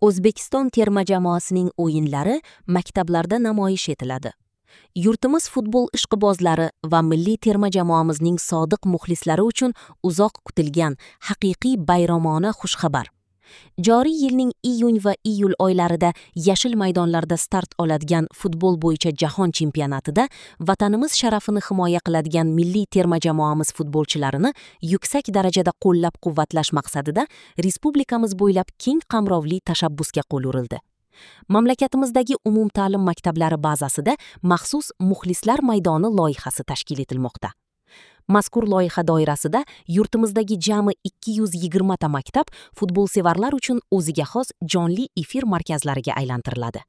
O'zbekiston terma jamoasining o'yinlari maktablarda namoyish etiladi. Yurtimiz futbol ishqibozlari va milliy terma jamoamizning sodiq muxlislari uchun uzoq kutilgan haqiqiy bayramona xushxabar. Joriy yilning iyun va iyul oylarida yashil maydonlarda start oladigan futbol bo'yicha jahon chempionatida vatanimiz sharafini himoya qiladigan milliy terma jamoamiz futbolchilarini yuksak darajada qo'llab-quvvatlash maqsadida respublikamiz bo'ylab keng qamrovli tashabbusga qo'l urildi. Mamlakatimizdagi umumta'lim maktablari bazasida maxsus muxlislar maydoni loyihasi tashkil etilmoqda. Mazkur loyiha doirasida yurtimizdagi jami 220 ta maktab futbolsevarlar uchun o'ziga xos jonli efir markazlariga aylantiriladi.